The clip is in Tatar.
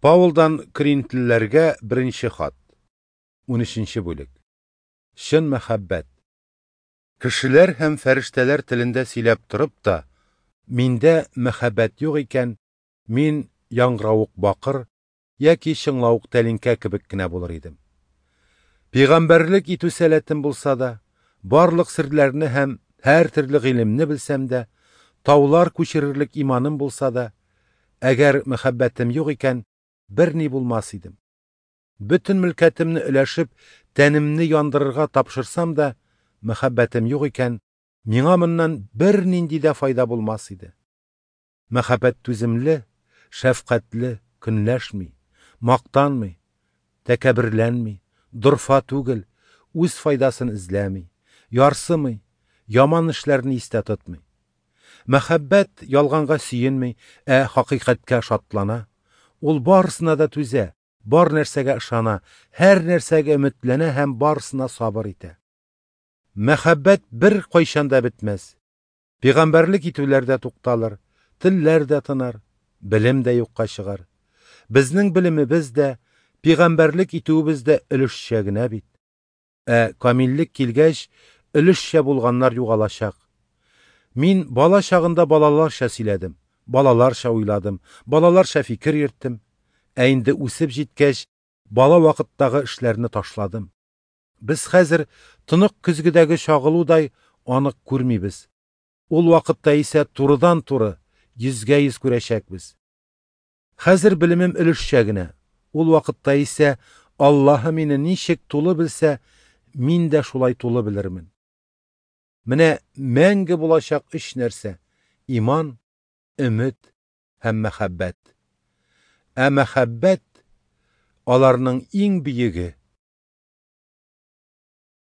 Паулдан Коринфлеләргә беренче хат. 13 бүлек. Чын мәхәббәт. Кешеләр һәм фәрештәләр телендә сөйләп торып та, миндә мәхәббәт юк икән, мин яңгыравык бакыр яки чыңлавык тәлинкә кебек кенә булыр идем. Пәйгамбәрлек итү сәләтем булса да, барлык серләрне һәм һәртөрле гыйлемне белсәм дә, таулар күчерерлек иманым булса да, әгәр мәхәббәтем юк икән, берни булмас идем. Бөтен мөлкәтемне өләшеп, тәнемне яндырырга тапшырсам да, мәхәббәтем юк икән, миңа моннан бернинди дә файда булмас иде. Мәхәббәт түземле, шәфкатьле, көнләшми, мактанмый, тәкәбберләнми, дорфа түгел, үз файдасын эзләми, ярсымый, яман эшләрне истә тотмый. Мәхәббәт ялганга сөенми, ә хакыйкатькә шатлана. Ул барысына да түзә, бар нәрсәгә ышана, һәр нәрсәгә өметләнә һәм барысына сабыр итә. Мәхәббәт бер кайчан да бетмәс. Пәйгамбәрлек итүләр дә тукталыр, телләр дә тынар, белем дә юкка чыгар. Безнең белемебез дә, пәйгамбәрлек итүебез дә өлешчә генә бит. Ә камиллек килгәч, өлешчә булганнар югалачак. Мин бала чагында балаларча сөйләдем, балаларча уйладым, балаларча фикер йөрттем. Ә инде үсеп җиткәч, бала вакыттагы эшләрне ташладым. Без хәзер тонык көзгедәге чагылудай анык күрмибез. Ул вакытта исә турыдан-туры, йөзгә-йөз күрәчәкбез. Хәзер белемем өлешчә генә. Ул вакытта исә Аллаһы мине ничек тулы белсә, мин дә шулай тулы белермен. Менә мәңге булачак өч нәрсә: иман, өмет һәм мәхәббәт. Ә мәхәббәт аларның иң бөеге.